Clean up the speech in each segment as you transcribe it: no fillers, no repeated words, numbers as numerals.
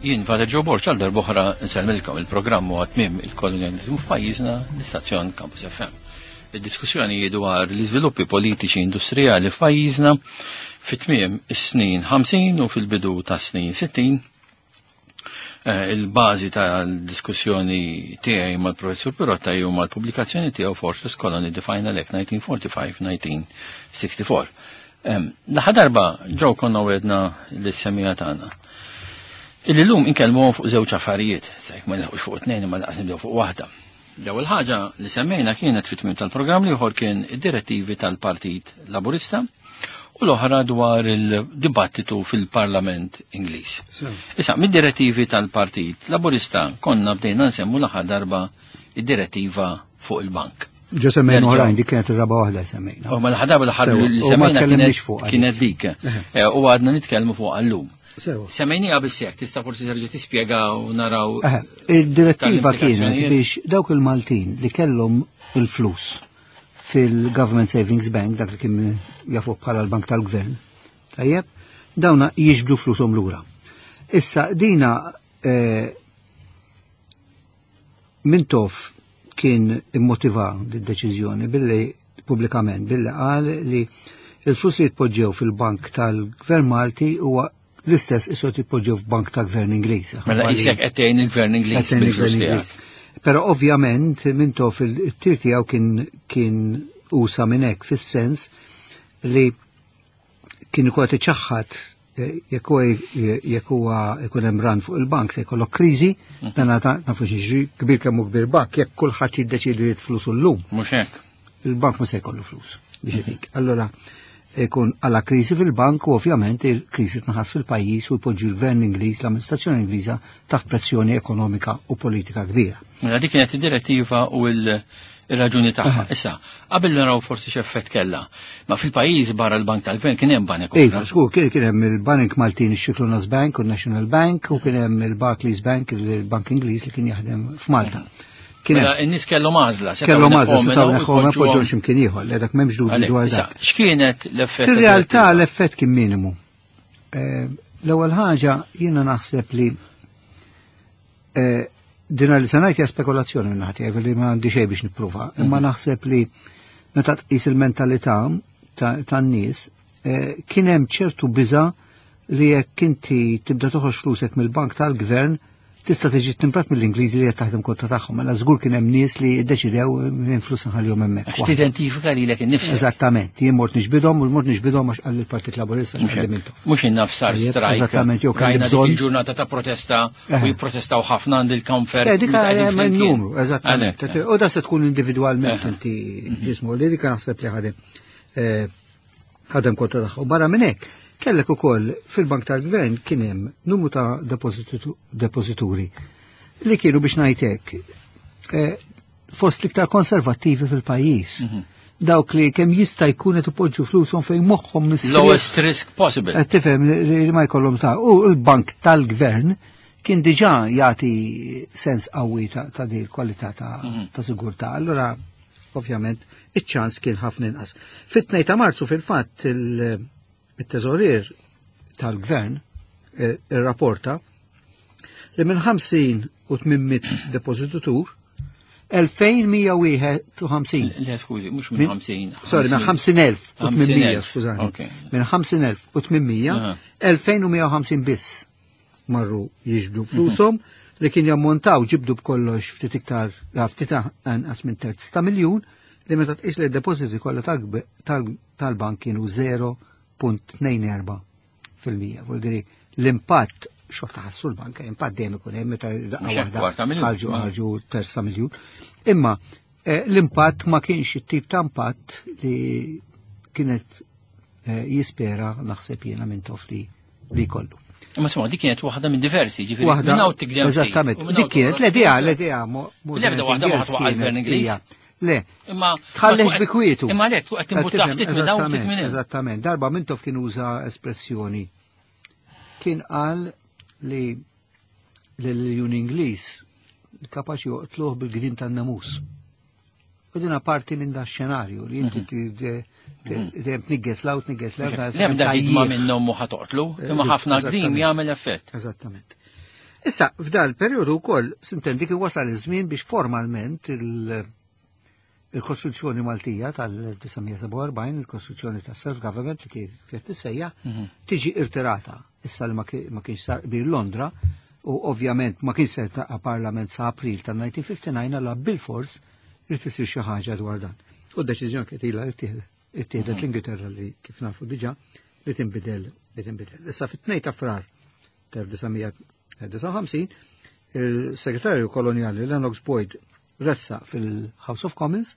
Jien Father Joe Borg għal darb'oħra nsellmilkom il-programm huwa tmiem il-kolonjaliżmu f'pajjiżna l-istazzjon Campus FM. Id-diskussjoni dwar l-iżviluppi politiċi industrijali f'pajjiżna fit-tmiem is-snin 50 u fil-bidu tas-snin 60 eh, il-bażi tal-diskussjoni tiegħi mal-Professur Pirotta jew mal-pubblikazzjoni tiegħu Fortress Colony The Final Act 1945-1964. L-aħħar darba ġew konna wedna lis-semija tagħna. Illi llum inkellmuhom fuq żewġ affarijiet, sa jekk ma nilħqux fuq tnejn imma laqas nibdew fuq waħda. L-ewwel ħaġa li semmejna kienet fit-tmiem tal-programm li ieħor kien id-direttivi tal-Partit Laburista u l-oħra dwar il-dibattitu fil-Parlament Ingliż. Issa, mid-direttivi tal-Partit Laburista konna bdejna nsemmu l-aħħar darba id-direttiva fuq il-bank. Ġo semmejna oħrajn, dik kienet ir-raba waħda semmejna. U mela ħadab l-aħħar li semmejna kienet dik. Eh, u għadna nitkellmu fuq għallum. Semmejnija biss tista' forsi terġa' tispjega u naraw. Il-direttiva kienet biex dawk il-Maltin li kellhom il-flus fil-Government Savings Bank, dak li kien jafu bħala l-Bank tal-Gvern, tajjeb, dawna jiġbdu flushom lura. Issa dina eh, Mintoff kien immotiva d-deċiżjoni billi pubblikament billi qal li il-flus li jitpoġġew fil-bank tal-Gvern Malti huwa l-istess isu jitpoġġew f'bank tal-Gvern Ingliż. Mela isek qed tgħin il-Gvern Ingliż bil-flus tiegħek. Però ovvjament Mintoff il-tir tiegħu kien kien usa minn hekk fis-sens li kien ikun qed iċaħħad eh, jekk huwa jekk huwa ikun hemm ran fuq il-bank se jkollok kriżi, mhm. dan nafu xi kbir kemm hu kbir bank, jekk kulħadd jiddeċiedi jrid flus llum. Mhux hekk. Il-bank ma se jkollu flus biex mhm. itik. Allora ikun għala kriżi fil-bank u ovvjament il-kriżi tnaħas fil-pajjiż u jpoġġi l-gvern Ingliż, l-amministrazzjoni Ingliża taħt pressjoni ekonomika u politika kbira. Mela dik kienet id-direttiva u l- ir-raġuni tagħha. Issa, qabel naraw forsi x'effett kellha, ma fil-pajjiż barra l-Bank tal-Gvern kien hemm banek oħra. Iva, żgur, kien kien hemm il-Banek Maltin ix-Xiklunas Bank u National Bank u kien hemm il-Barclays Bank, il-Bank Ingliż li kien jaħdem f'Malta. Kien mela, in-nies kellhom għażla, kellhom għażla, setgħu neħħom poġġhom x'imkien ieħor, le dak m'hemmx dubju dwar dak. X'kienet l-effett? Fir-realtà l-effett kien minimu. Eh, l-ewwel ħaġa jiena naħseb li Eh, dina li sanajt hija spekulazzjoni minn ħati, li ma għandi xejn biex nippruva, imma mhm. naħseb li meta tqis il-mentalità tan-nies eh, kien hemm ċertu biża li jekk inti tibda toħroġ flusek mill-bank tal-gvern tista' tiġi timprat mill-Ingliżi li qed taħdem kontra tagħhom. Mela żgur kien hemm nies li ddeċidew minn flus nħallihom hemmhekk. Għax tidentifika lilek innifsek. Eżattament, jien mort nixbidhom u mort nixbidhom għax qal il-Partit Laburista Mhux innafsar strajk. Eżattament, jew kelli bżonn. Il-ġurnata ta' protesta u eh. jipprotestaw ħafna għand il-kamfer. Eh, dik hemm numru, eżattament. Eh. U da se tkun individwalment inti mhm. ġismu li dik naħseb li ħadem ħadem kontra tagħha. U barra minn hekk, kellek ukoll fil-Bank tal-Gvern kien hemm numru ta' depożituri li kienu biex ngħidlek fost l-iktar konservattivi fil-pajjiż. Mhm. Dawk li kemm jista' jkun qed ipoġġu flushom fejn moħħhom mistrieħ. Lowest risk possible. Qed tifhem li ma jkollhom ta' u l-bank tal-gvern kien diġà jagħti sens qawwi ta' din il-kwalità ta' mhm. sigurtà. Allura ovvjament iċ-ċans kien ħafna inqas. Fit-2 ta' Marzu fil-fatt il-teżorier tal-gvern eh, irrapporta li minn 50 u 800 depożitutur 2151. Le, skużi, mhux minn 50. Sorry, minn 50,800, skużani. Minn 50,800, 2150 biss marru jiġbdu flushom li kien jammontaw ġibdu b'kollox ftit iktar ftit anqas minn terz ta' miljun li meta tqis li d-depożiti kollha tal-bank kienu 0.24 fil-mija. Vuol dire l-impatt xorta ħassu l-banka, impatt dejjem ikun hemm meta daqqa waħda ħarġu ħarġu terz ta' miljun. Imma eh, l-impatt ma kienx it-tip ta' impatt li kienet eh, jispera naħseb jiena minn tof li li kollu. Imma sma, dik kienet waħda minn diversi, ġifieri. Waħda. Minn hawn tigdem. Eżattament. Dik kienet l-idea, l-idea. L-ebda waħda ma ħatwaqa' l-Gvern Ingliż. Le, imma tħallex bi kwietu. Imma le, qed timbutta ftit minn hawn ftit minn Eżattament. Darba Mintoff kien uża espressjoni. Kien qal li l-Jun Ingliż kapaċi joqtluh bil-gdim tan-namus. U dina parti minn da xenarju li inti mhm. mhm. dejjem tnigges law, tnigges law. L-ebda ħidma minnhom mhu ħatoqtlu, imma ħafna gdim jagħmel effett. Eżattament. Issa, f'dal periodu wkoll sintendi kien wasal iż-żmien biex formalment il-Kostituzzjoni Maltija tal-1947, il-Kostituzzjoni ta' Self-Government li kienet tissejjaħ, tiġi irtirata. Issa li ma kienx sar qbil Londra u ovvjament ma kienx se taqa' Parlament sa' April tal-1959 għalla bil-fors irid isir xi ħaġa dwar dan. U d-deċiżjoni kienet ilha li ittieħdet l-Ingilterra li kif nafu diġà li tinbidel li tinbidel. Issa fit-2 ta' Frar tal-1959 il-segretarju koloniali Lennox Boyd ressa fil-House of Commons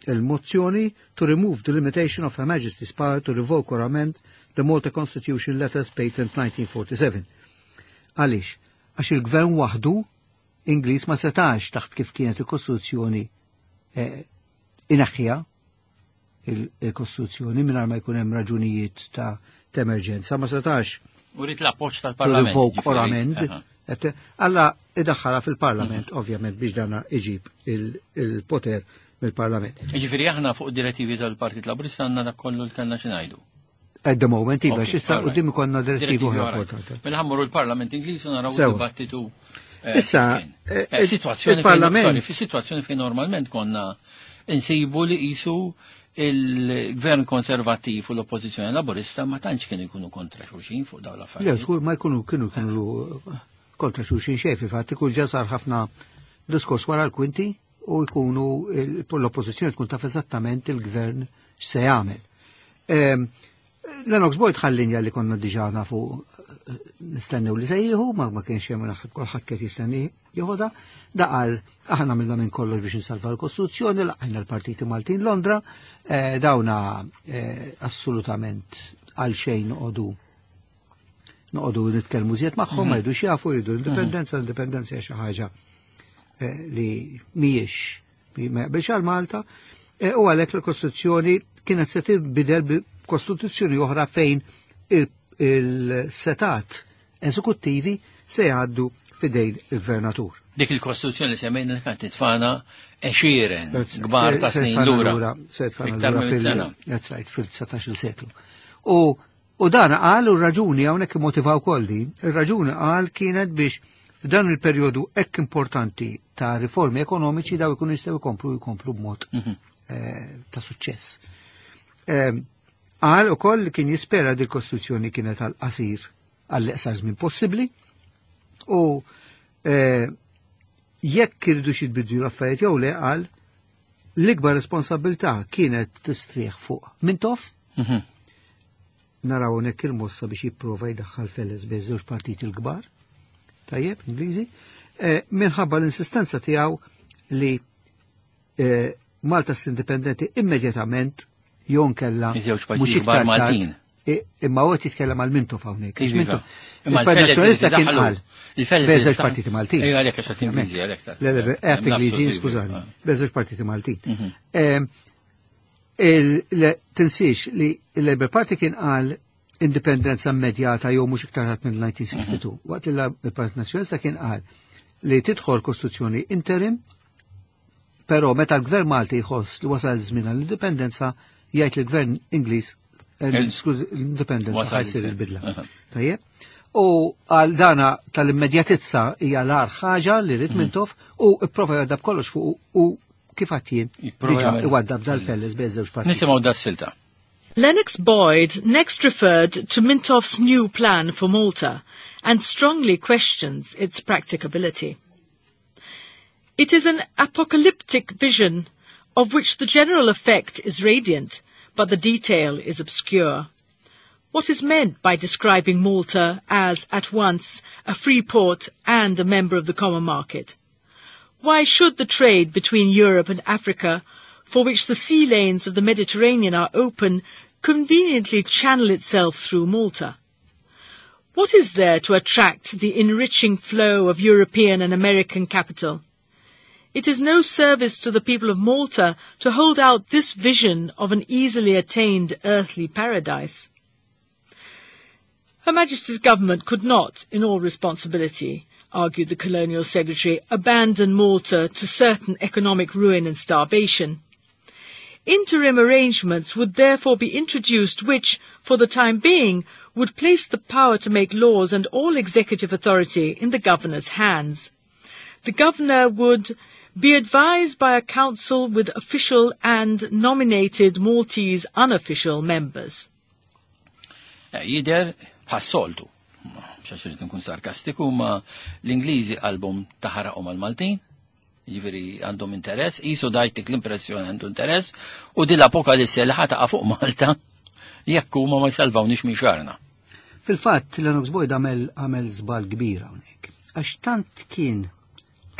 il-mozzjoni to remove the limitation of Her Majesty's power to revoke or amend the Malta Constitution Letters Patent 1947. Għaliex? Għax il-gvern waħdu Ingliż ma setax taħt kif kienet il-Kostituzzjoni ineħħiha il-Kostituzzjoni mingħajr ma jkun hemm raġunijiet ta' emerġenza, ma setax U rrid l-appoġġ tal-Parlament. Revoke or amend. Alla idaħħala fil-Parlament, ovvjament, biex dana iġib il-poter mill-Parlament. Ġifieri aħna fuq direttivi tal-Partit Laburista għandna dak kollu li kellna xi ngħidu. At the moment, iva, xissa u dim konna direttivi oħra importanti. Mela ħammuru l-Parlament Ingliż u naraw dibattitu. Issa, situazzjoni il-Parlament. Fi situazzjoni fejn normalment konna insibu li qisu il-gvern konservattiv u l-oppożizzjoni laburista ma tantx kienu jkunu kontra xulxin fuq dawn l-affarijiet. Le, żgur ma jkunu kienu jkunu kontra xulxin xejn, fil-fatt ikun ġa sar ħafna diskors wara l-kwinti u jkunu l-oppożizzjoni tkun taf eżattament il-gvern x'se jagħmel. Lennox Boyd ħallinja li konna diġà nafu nistennew li se jieħu, ma kienx hemm naħseb kulħadd kien jistenni jieħodha. Da qal aħna għamilna minn kollox biex insalva l-Kostituzzjoni, laqajna l-partiti Maltin Londra, dawna assolutament għal xejn noqogħdu nitkellmu żjed magħhom, ma jridux jafu, jridu l-indipendenza, l-indipendenza hija xi ħaġa li mhijiex ma jaqbilx għal Malta, u għalhekk l-Kostituzzjoni kienet se tinbidel b'Kostituzzjoni oħra fejn il-setat eżekuttivi se jgħaddu fidejn il-gvernatur. Dik il-Kostituzzjoni li semmejna li kienet titfana għexieren kbar ta' snin lura. Se titfana Iktar lura minn sena. That's right, fil-19 seklu. U dan qal, u raġuni hawnhekk motivaw kolli, ir-raġuni qal kienet biex f'dan il-perjodu hekk importanti ta' riformi ekonomiċi daw ikunu jistgħu jkomplu b'mod ta' suċċess. Qal ukoll li kien jispera di l-Kostituzzjoni kienet għal qasir għall-eqsar żmien possibbli u jekk irridu xi jbidlu l-affarijiet jew le qal l-ikbar responsabilità kienet tistrieħ fuq Mintoff. Naraw hawnhekk il-mossa biex jipprova jdaħħal feles bejn żewġ partiti l-kbar, tajjeb, Ingliżi, minħabba l-insistenza tiegħu li Malta s-indipendenti immedjatament jew nkella Iż-żewġ partiti mhux kbar iktar tard. Maltin. Imma huwa jitkellem għal Mintoff hawnhekk. Iva. Mintoff. Imma Il-Partit l-Feles Nazzjonalista li kien daħlu. qal. Il-Feles Bejn li żewġ daħlu. partiti Maltin. Ejja, għalhekk għax qed Ingliżi, għalhekk ta' Le, le, hemm qed Ingliżi, nafsu skużani. iva. Bejn żewġ partiti Maltin. Tinsiex li il-Labour Party kien qal indipendenza immedjata jew mhux iktar tard minn 1962. Waqt li l-Partit Nazzjonalista kien qal li tidħol Kostituzzjoni interim, però meta l-Gvern Malti jħoss li wasal iż-żmien għall-indipendenza, jgħid li l-Gvern Ingliż, skuż, l-indipendenza Wasal ħajsir iż-żmien. il-bidla. Tajjeb? U għal dana tal-immedjatizza hija l-agħar ħaġa li rrid Mintoff u ipprova jgħaddab kollox fuq u kif għadd jien Jipprova diġà jagħmel. iwaddab dal-felles bejn żewġ partiti. Nisimgħu das-silta. Lennox Boyd next referred to Mintoff's new plan for Malta and strongly questions its practicability. It is an apocalyptic vision of which the general effect is radiant, but the detail is obscure. What is meant by describing Malta as, at once, a free port and a member of the common market? Why should the trade between Europe and Africa, for which the sea lanes of the Mediterranean are open, conveniently channel itself through Malta? What is there to attract the enriching flow of European and American capital? It is no service to the people of Malta to hold out this vision of an easily attained earthly paradise. Her Majesty's government could not, in all responsibility, argued the Colonial Secretary, abandon Malta to certain economic ruin and starvation. Interim arrangements would therefore be introduced which, for the time being, would place the power to make laws and all executive authority in the governor's hands. The governor would be advised by a council with official and nominated Maltese unofficial members. Jidher bħas-soltu. Mhux irrid nkun sarkastiku, ma l-Ingliżi qalbhom taħaraqhom għal-Maltin, jiġifieri għandhom interess, qisu dajtik l-impressjoni għandu interess, u din l-apokalisse li ħa taqa' fuq Malta jekk huma ma jsalvawnix minn xagħarna. Fil-fatt, Lennox Boyd għamel għamel żball kbir hawnhekk. Għax tant kien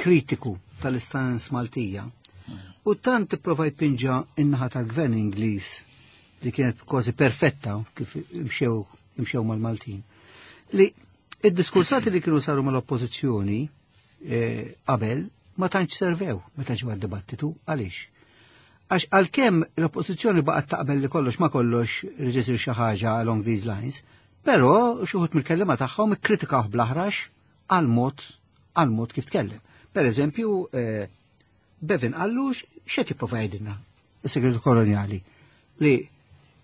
kritiku tal-istance Maltija u tant ipprova jpinġa in-naħa tal-gvern Ingliż li kienet kważi perfetta kif imxew imxew mal-Maltin. Li id-diskursati li kienu saru mal-oppożizzjoni qabel ma tantx servew meta ġew għad-dibattitu. Għaliex? Għax għalkemm l-oppożizzjoni baqgħet taqbel li kollox ma kollox irid isir xi ħaġa along these lines, però xi wħud mill-kelliema tagħhom ikkritikawh bl-aħrax għal mod kif tkellem. Per eżempju, Bevin qallu x'qed jipprova jgħidilna is-segretu koloniali li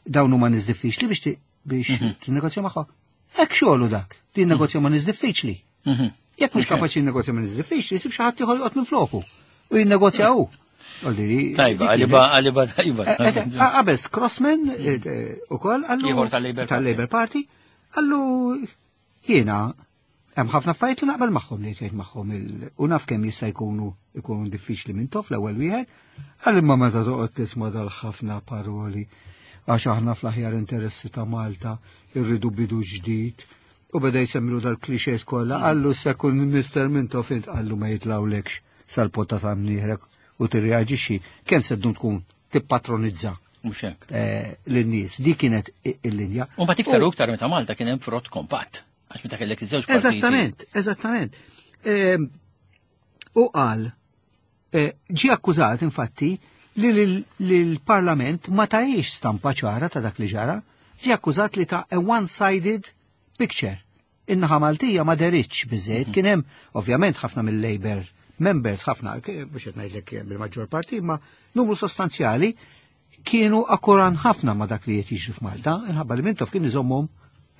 dawn huma nies diffiċli biex tinnegozja magħhom. Hekk xogħlu dak, li jinnegozja ma' nies diffiċli. Jekk mhux kapaċi jinnegozja ma' nies diffiċli, jsib xi ħadd ieħor joqgħod minn floku u jinnegozja hu. Tajba, għaliba, għaliba tajba. Qabel Crossman ukoll qallu Ieħor tal-Labour Party. Tal-Labour Party qallu jiena hemm ħafna affarijiet li naqbel magħhom li jgħid magħhom u naf kemm jista' jkunu ikunu diffiċli minn tof l-ewwel wieħed, għal imma meta toqgħod tisma' dal-ħafna paroli għax aħna fl-aħjar interessi ta' Malta irridu bidu ġdid u beda jsemmilu dal-clichés kollha, qallu sekun Mr. Mintoff int, qallu ma jitlawlekx sal-potta ta' mnieħrek u tirreaġixxi kemm se ddum tkun tippatronizza Mhux hekk. Lin-nies. Di kienet il-linja. U mbagħad iktar u iktar meta Malta kien hemm frott kompatt. Għax meta kellek iż-żewġ partiti. Eżattament, eżattament. U qal, ġi akkużat infatti li l-Parlament ma tajiex stampa ċara ta' dak li ġara, ġi akkużat li ta a one-sided picture. In-naħa Maltija ma deritx biżejjed, kien hemm ovvjament ħafna mill-Labour members, ħafna, mhux qed ngħidlek bil-maġġor parti, ma numru sostanzjali kienu akkuran ħafna ma dak li qed jiġri f'Malta, inħabba li Mintoff kien iżommhom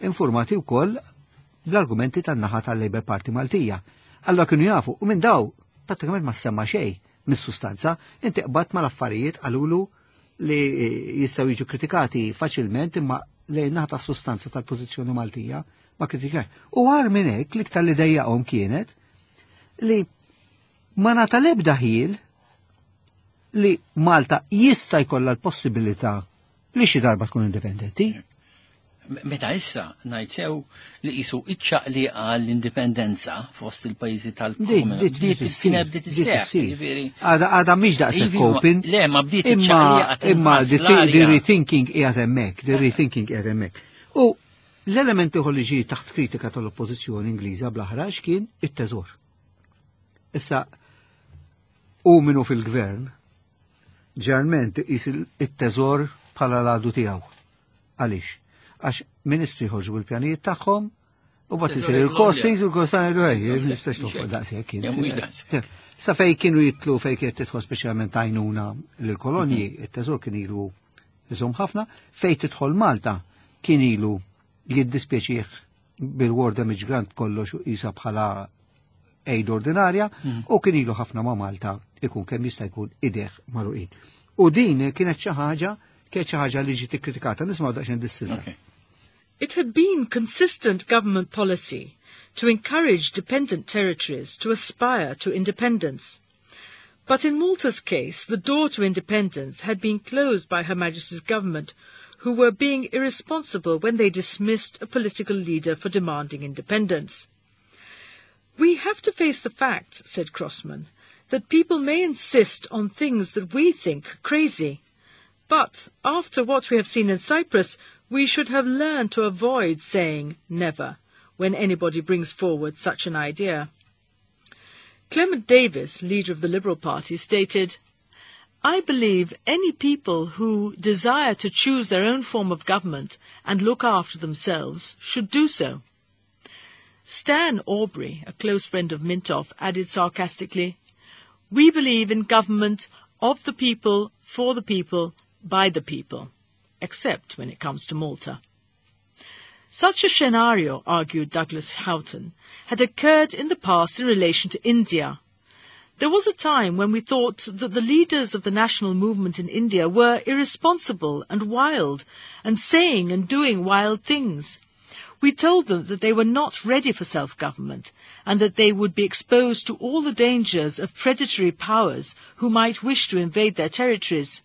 informati wkoll bl-argumenti tan-naħa tal-Labour Party Maltija. Allora kienu jafu, u minn daw prattikament ma semma xejn mis-sustanza, inti qbadt mal-affarijiet qalulu li jistgħu jiġu kritikati faċilment imma lejn naħa tas-sustanza tal-pożizzjoni Maltija ma kritikaj. U għar minn hekk l-iktar li dejjaqhom kienet li ma nata l-ebda ħil li Malta jista' jkollha l-possibilità li xi darba tkun indipendenti. Meta issa ngħid sew li qisu iċ-ċaqliqa l-indipendenza fost il-pajjiżi tal-Commonwealth. Bdiet Bdiet issir, kienet bdiet bdiet isseħħ, issir. jiġifieri. Għada mhix daqshekk Ivi, open. Le, ma bdiet Imma iċ-ċaqliqa imma tinħass l-arja. the rethinking qiegħed hemmhekk, the rethinking qiegħed hemmhekk. U l-element ieħor li ġie taħt kritika tal-Oppożizzjoni Ingliża bl-aħrax kien it-teżor. Issa u minnu fil-gvern ġeneralment iqis it-teżor bħala l-għadu tiegħu. Għaliex? Għax ministri ħorġu bil-pjanijiet tagħhom u bat Teżor isir il-globja. il-costings u l-costings jgħidu ej, Le, nistax mhux nofqu hekk. daqshekk Le, mhux daqshekk. Sa fej kienu jitlu fej kienet tidħol speċjalment għajnuna lill-kolonji, it-teżor kien ilu iżom ħafna, fej tidħol Malta kien ilu jiddispjaċih bil-War Damage Grant kollox u isa bħala aid ordinarja u kien ilu ħafna ma' Malta ikun kemm jista' jkun ideħ magħluqin. U din kienet xi ħaġa li ġiet ikkritikata, nismgħu daqsxejn dis-silta. Okay. It had been consistent government policy to encourage dependent territories to aspire to independence. But in Malta's case, the door to independence had been closed by Her Majesty's government, who were being irresponsible when they dismissed a political leader for demanding independence. We have to face the fact, said Crossman, that people may insist on things that we think crazy. But after what we have seen in Cyprus, we should have learned to avoid saying never when anybody brings forward such an idea. Clement Davis, leader of the Liberal Party, stated, I believe any people who desire to choose their own form of government and look after themselves should do so. Stan Aubrey, a close friend of Mintoff, added sarcastically, We believe in government of the people, for the people, by the people, except when it comes to Malta. Such a scenario, argued Douglas Houghton, had occurred in the past in relation to India. There was a time when we thought that the leaders of the national movement in India were irresponsible and wild, and saying and doing wild things. We told them that they were not ready for self-government and that they would be exposed to all the dangers of predatory powers who might wish to invade their territories.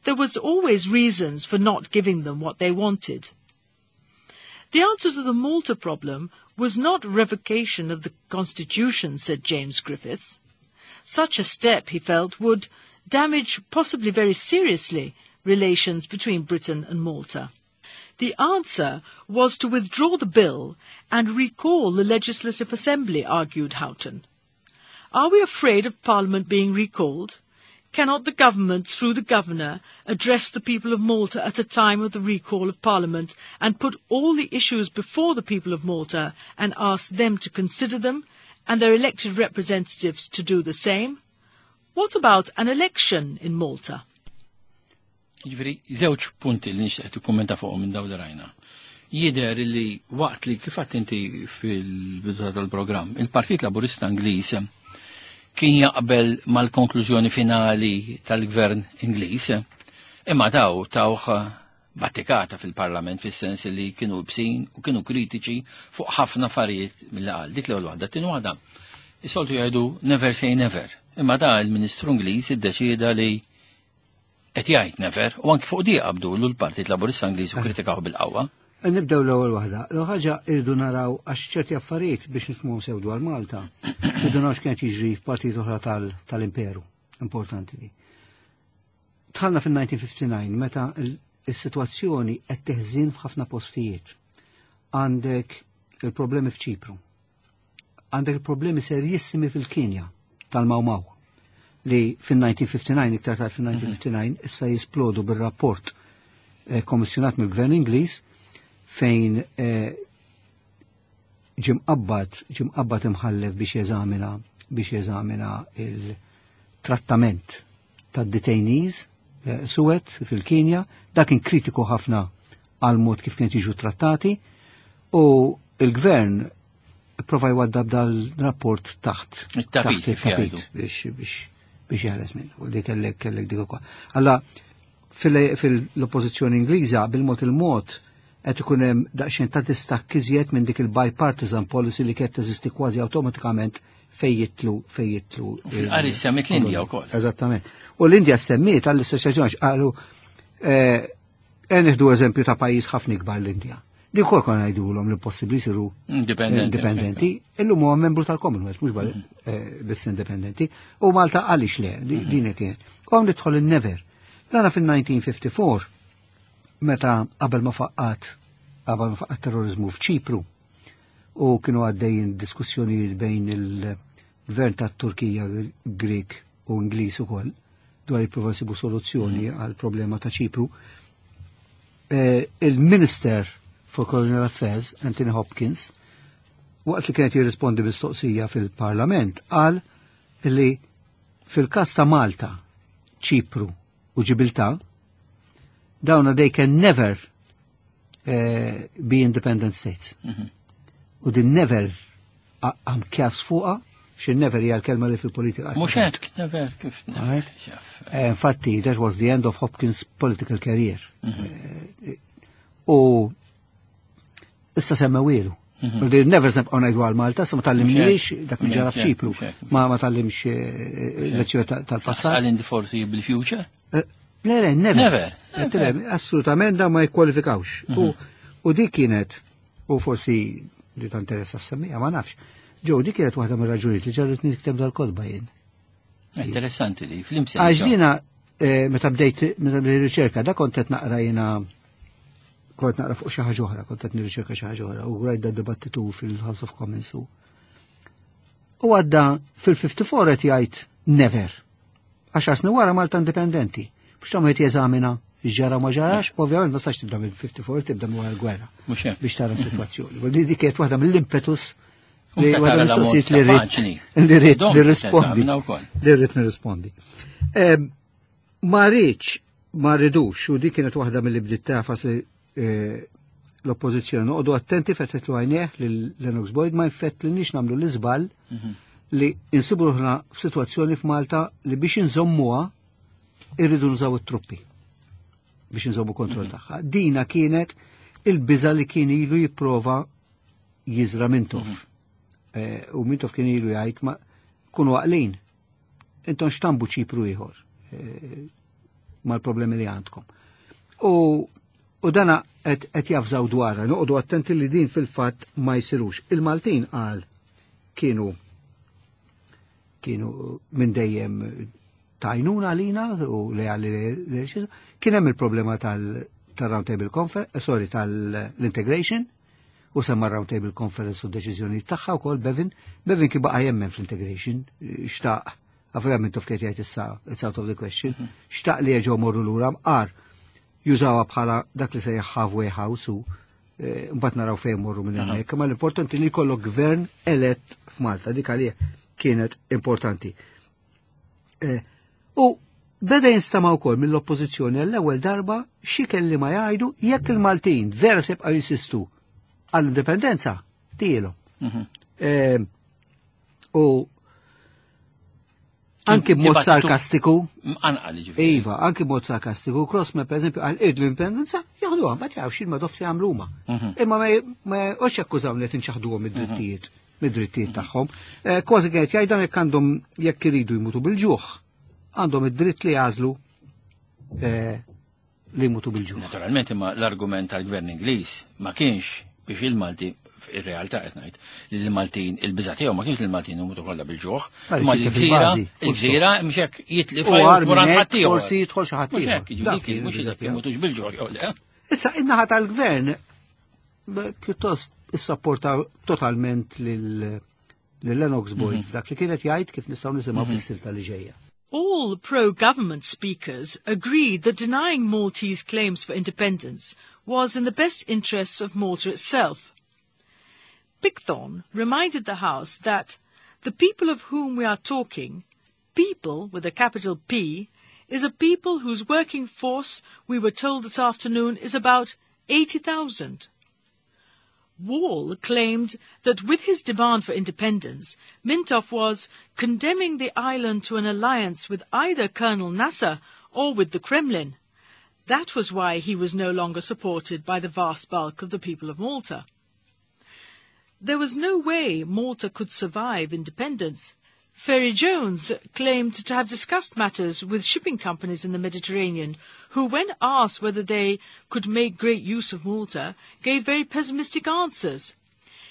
There was always reasons for not giving them what they wanted. The answer to the Malta problem was not revocation of the Constitution, said James Griffiths. Such a step, he felt, would damage, possibly very seriously, relations between Britain and Malta. The answer was to withdraw the bill and recall the Legislative Assembly, argued Houghton. Are we afraid of Parliament being recalled? Cannot the government, through the governor, address the people of Malta at a time of the recall of Parliament and put all the issues before the people of Malta and ask them to consider them and their elected representatives to do the same? What about an election in Malta? Jiġifieri, żewġ punti li nixtieq tikkummenta fuqhom minn dawn li rajna. Jidher li waqt li kif għedt inti fil-bidu tal-programm, il-Partit Laburista Ingliż kien jaqbel mal-konklużjoni finali tal-Gvern Ingliż, imma daw tawh battikata fil-Parlament fis-sens li kienu bsin u kienu kritiċi fuq ħafna affarijiet mill qal. Dik l-ewwel waħda. Tieni waħda. Is-soltu jgħidu never say never. Imma da il-Ministru Ingliż iddeċieda li qed jgħid never u anki fuq di qabdu l-Partit Laburista Ingliż u kritikaw bil-qawwa. Nibdew l-ewwel waħda. L ħaġa irridu naraw għax ċerti affarijiet biex nifhmu sew dwar Malta. Irridu naraw x'kienet jiġri f'partit oħra tal-Imperu. Importanti li. Dħalna fil-1959 meta is-sitwazzjoni qed teħżin f'ħafna postijiet. Għandek il-problemi f'Ċipru. Għandek il-problemi serjissimi fil-Kenja tal-Mau Mau li fil-1959, iktar tard fil-1959, issa jisplodu bil-rapport kommissjonat mill-Gvern Ingliż fejn ġie mqabbad imħallef biex jeżamina il-trattament tad-detainees suwed fil-Kenja. Dak kien kritiku ħafna għal mod kif kien jiġu trattati u il-gvern prova jwaddab dal-rapport taħt it-tapit, taħt il-tapit biex jeħles minn u dik kellek dik ukoll. Alla fil-oppożizzjoni Ingliża bil-mod il-mod qed ikun hemm daqsxejn ta' distakk iżjed minn dik il-bipartisan policy li kienet teżisti kważi awtomatikament fejn jidħlu. U fil-qari semmiet l-Indja wkoll. Eżattament. U l-Indja semmiet għall-istess raġuni għax qalu nieħdu eżempju ta' pajjiż ħafna ikbar, l-Indja. Di wkoll konna ngħidulhom li possibbli jsiru Indipendenti. Indipendenti, illum huwa membru tal-Commonwealth, mhux biss indipendenti. U Malta għaliex le, din kien. U hawn nidħol il-never. Dana fil-1954, meta qabel ma faqqat terrorizmu f'Ċipru, u kienu għaddejjin diskussjonijiet bejn il-gvern ta' Turkija, Grek u Ingliż ukoll dwar jippruvaw jsibu soluzzjoni għal problema ta' Ċipru. Il-Minister for Colonial Affairs, Anthony Hopkins, waqt li kienet jirrispondi mistoqsija fil-Parlament, qal li fil-kas ta' Malta, Ċipru u Ġibilta, dawna they can never be independent states. U din never għam kjas fuqa, xi never hija l-kelma li fil-politika. Mhux hekk, never, kif never. Right. Xaf. Infatti, that was the end of Hopkins' political career. U issa semmewielu. Mm Never sem ngħidu għal Malta, sa ma tgħallimniex dak li ġara f'Ċipru. Ma tgħallimx lezzjoni tal-passat. Għal in the foreseeable future? Le, never. Never. Assolutament da ma jikkwalifikawx. U dik kienet, u forsi li ta' interessa semmija, ma nafx. Ġew, dik kienet waħda mir-raġunijiet li ġarret nikteb dal-kotba jien. Interessanti li, fl-imsen. Għax jiena, meta bdejt riċerka, da kont qed naqra jiena, kont naqra fuq xi ħaġa oħra, kont qed nirriċerka xi ħaġa oħra u rajt da dibattitu fil-House of Commons u. U għadda fil-54 qed jgħid never. Għax snin wara Malta indipendenti. Biex tagħmel qed jeżamina ġara ma ġarax, ovvjament ma sax tibda mill-54, tibda minn wara l-gwerra Mhux hekk. Biex tara s-sitwazzjoni. U di kienet waħda mill-impetus U li meta waħda tara l-ammont mill-mistoqsijiet ta' li rrid paġni. li rrid Dom nirrispondi. teżamina wkoll. Li rrid nirrispondi. Ma rridx Ma rridux, u dik kienet waħda mill-li bdiet tafas li l-oppożizzjoni noqogħdu attenti fetħet għajnejh lil Lennox Boyd ma jfettlniex nagħmlu l-iżball li insibu ruħna f'sitwazzjoni f'Malta li biex inżommuha irridu nużaw it-truppi biex inżommu kontroll tagħha. Dina kienet il-biża li kien ilu jipprova jiżra Mintoff. U Mintoff kien ilu jgħid ma kunu għaqlin. Intom xtambu Ċipru ieħor mal-problemi li għandkom. U dana qed jafżaw dwarha, noqogħdu attenti li din fil-fatt ma jsirux. Il-Maltin qal kienu minn dejjem tajnuna għalina u leali li kien hemm il-problema tal-Round Table Conference, sorry, tal-integration, u semma Round Table Conference u deċiżjoni tagħha wkoll Bevin. Bevin kien baqa' jemmen fl-integration, xtaq, għafra minn tuf jgħid issa, it's out of the question, xtaq li jerġgħu morru lura mqar jużawha bħala dak li sejjaħ halfway house u mbagħad naraw fejn morru minn hemmhekk, imma l-importanti li jkollok gvern elett f'Malta, dik għalih kienet importanti. U beda jinstama' wkoll mill-oppożizzjoni għall-ewwel darba xi kelliema jgħidu jekk il-Maltin vera se jibqgħu jinsistu għall-indipendenza tielhom. U anki b'mod sarkastiku. Mqanqal, ġifieri. Iva, anki b'mod sarkastiku. Crossman, per eżempju, għal id l-indipendenza, jaħduha, ma tafx il-Madoff se jagħmlu huma. Imma ma jqgħodx jakkużaw li qed inċaħduhom id-drittijiet, mid-drittijiet tagħhom. Kważi kienet jgħid dan jekk għandhom jekk iridu jmutu bil-ġuħ, għandhom id-dritt li jagħżlu li jmutu bil-ġuħ. Naturalment, imma l-argument tal-gvern Ingliż ma kienx biex il-Malti, ir-realtà qed ngħid, li l-Maltin il-biża' tiegħu ma kienx li l-Maltin imutu kollha bil-ġuħ, Ma imma li l-gżira, fil-bażi, full il-gżira mhux hekk jitli U fajn għar wara minn hekk ħadd ieħor. forsi jidħol xi ħadd Mhux ieħor. hekk, jiġifieri Dak dik kien mhux il-biża' jekk tiegħu. imutux bil-ġuħ jew le. Issa in-naħa tal-gvern pjuttost issapporta totalment lil Lennox Boyd f'dak li kienet jgħid kif nistgħu nisimgħu fis-silta li ġejja. All pro-government speakers agreed that denying Maltese claims for independence was in the best interests of Malta itself. Pickthorne reminded the House that the people of whom we are talking, people with a capital P, is a people whose working force, we were told this afternoon, is about 80,000. Wall claimed that with his demand for independence, Mintoff was condemning the island to an alliance with either Colonel Nasser or with the Kremlin. That was why he was no longer supported by the vast bulk of the people of Malta. There was no way Malta could survive independence. Ferry Jones claimed to have discussed matters with shipping companies in the Mediterranean, who, when asked whether they could make great use of Malta, gave very pessimistic answers.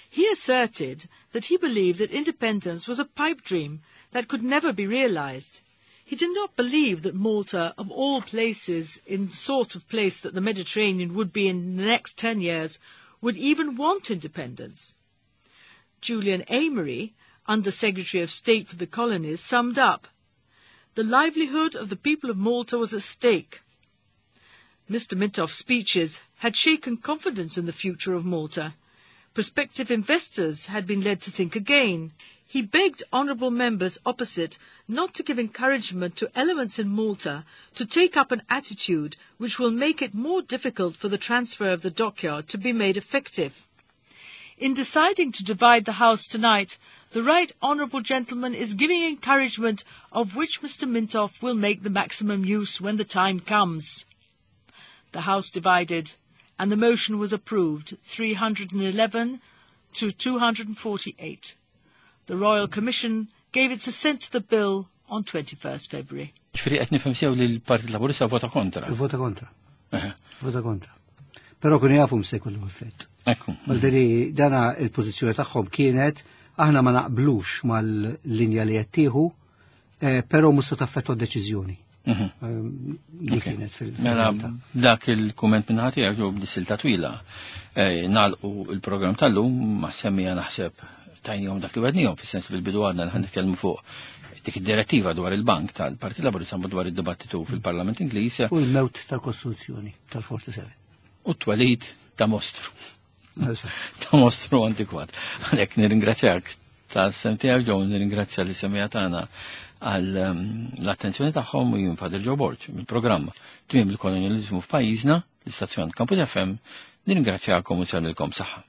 He asserted that he believed that independence was a pipe dream that could never be realized. He did not believe that Malta, of all places, in the sort of place that the Mediterranean would be in the next 10 years, would even want independence. Julian Amery, Under Secretary of State for the Colonies, summed up, The livelihood of the people of Malta was at stake. Mr. Mintoff's speeches had shaken confidence in the future of Malta. Prospective investors had been led to think again. He begged honourable members opposite not to give encouragement to elements in Malta to take up an attitude which will make it more difficult for the transfer of the dockyard to be made effective. In deciding to divide the House tonight, the right honourable gentleman is giving encouragement of which Mr. Mintoff will make the maximum use when the time comes. The House divided, and the motion was approved, 311 to 248. The Royal Commission gave its assent to the bill on 21st February. Ġifieri qed nifhem sew li l-Partit Laburista vota kontra. Vota kontra. Vota kontra. Però kienu jafu se jkollu effett. Ekku. Malderi dana il-pożizzjoni tagħhom kienet aħna ma naqblux mal-linja li qed tieħu, però mhux se taffettwa d-deċiżjoni. Li kienet Mela, fil-realtà. dak il-kumment minn ħati għak b'disilta twila. Nagħlqu il-programm tal-lum ma semmija naħseb tajnihom dak li għednihom, fis-sens fil-bidu għadna li ħan nitkellmu fuq dik id-direttiva dwar il-bank tal-Partit Laburista dwar id-dibattitu fil-Parlament Ingliż. U l-mewt tal-Kostituzzjoni tal-47. U t-twelid ta' mostru. Ta' mostru antikwat. Għalhekk nirringrazzjak tas-sem tiegħek Joe, nirringrazzja li semija tagħna għal ehm, l-attenzjoni tagħhom u jien Father Joe Borg mill-programm Tmiem il-Kolonjaliżmu f'pajjiżna, l-istazzjon Campus FM, nirringrazzjakom u nsellilkom saħħa.